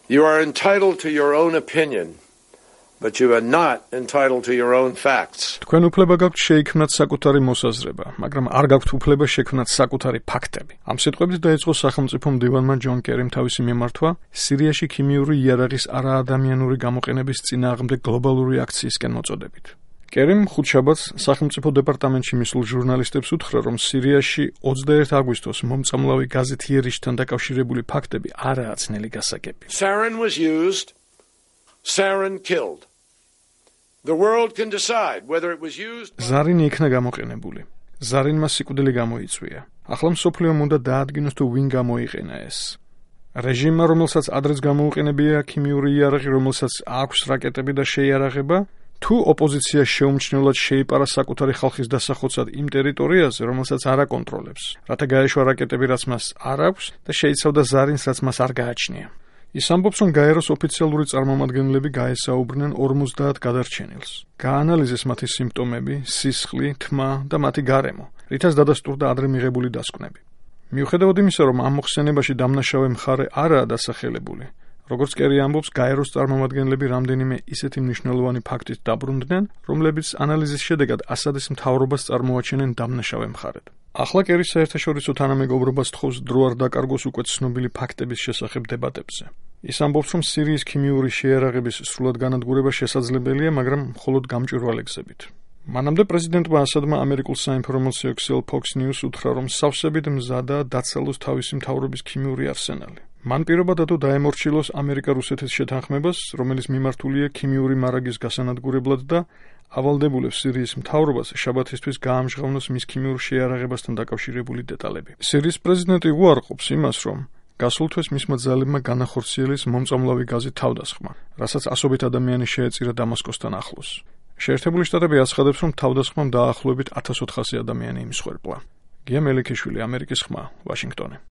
You are entitled to your own opinion, but you are not entitled to your own facts. თქვენ უფლება გაქვთ შეიქმნათ საკუთარი მოსაზრება, მაგრამ არ გაქვთ უფლება შექმნათ საკუთარი ფაქტები. ამ სიტყვებით დაიწყო სახელმწიფო მდივანმა ჯონ კერიმ თავისი მიმართვა სირიაში ქიმიური იარაღის არაადამიანური გამოყენების წინააღმდეგ გლობალური აქციისკენ მოწოდებით. კერიმ ხუთშაბათს სახელმწიფო დეპარტამენტში მისულ ჟურნალისტებს უთხრა, რომ სირიაში 21 აგვისტოს მომწამლავი გაზეთ იერიშთან დაკავშირებული ფაქტები არაა ძნელი გასაგები. Sarin was used, sarin killed. The world can decide whether it was used. ზარინი იქნა გამოყენებული. ზარინმა სიკვდილი გამოიწვია. ახლა მსოფლიომ უნდა დაადგინოს თუ ვინ გამოიყენა ეს. რეჟიმმა, რომელსაც ადრეც გამოუყენებია ქიმიური იარაღი, რომელსაც აქვს რაკეტები და შეიარაღება, თუ ოპოზიცია შეუმჩნევლად შეიპარა საკუთარი ხალხის დასახოცად იმ ტერიტორიაზე, რომელსაც არ აკონტროლებს, რათა გაეშვა რაკეტები, რაც მას არ აქვს და შეიცავდა ზარინს, რაც მას არ გააჩნია. ის ამბობს, რომ გაეროს ოფიციალური წარმომადგენლები გაესაუბრნენ 50 გადარჩენილს. გაანალიზეს მათი სიმპტომები, სისხლი, თმა და მათი გარემო, რითაც დადასტურდა ადრე მიღებული დასკვნები. მიუხედავად იმისა, რომ ამ მოხსენებაში დამნაშავე მხარე არაა დასახელებული, როგორც კერი ამბობს, გაეროს წარმომადგენლები რამდენიმე ისეთი მნიშვნელოვანი ფაქტით დაბრუნდნენ, რომლებიც ანალიზის შედეგად ასადის მთავრობას წარმოაჩენენ დამნაშავე მხარედ. ახლა კერი საერთაშორისო თანამეგობრობას თხოვს დრო არ დაკარგოს უკვე ცნობილი ფაქტების შესახებ დებატებზე. ის ამბობს, რომ სირიის ქიმიური შეიარაღების სრულად განადგურება შესაძლებელია, მაგრამ მხოლოდ გამჭვირვალე გზებით. მანამდე პრეზიდენტმა ასადმა ამერიკულ საინფორმაციო ქსელ Fox News უთხრა, რომ სავსებით მზადაა დაცალოს თავისი მთავრობის ქიმიური არსენალი. მან პირობა დადო დაემორჩილოს ამერიკა-რუსეთის შეთანხმებას, რომელიც მიმართულია ქიმიური მარაგის გასანადგურებლად და ავალდებულებს სირიის მთავრობას შაბათისთვის გაამჟღავნოს მის ქიმიურ შეიარაღებასთან დაკავშირებული დეტალები. სირიის პრეზიდენტი უარყოფს იმას, რომ გასულ თვეს მისმა ძალებმა განახორციელეს მომწამლავი გაზით თავდასხმა, რასაც ასობით ადამიანი შეეწირა დამასკოსთან ახლოს. შეერთებული შტატები აცხადებს, რომ თავდასხმამ დაახლოებით 1400 ადამიანი იმსხვერპლა. გია მელიქიშვილი, ამერიკის ხმა, ვაშინგტონი.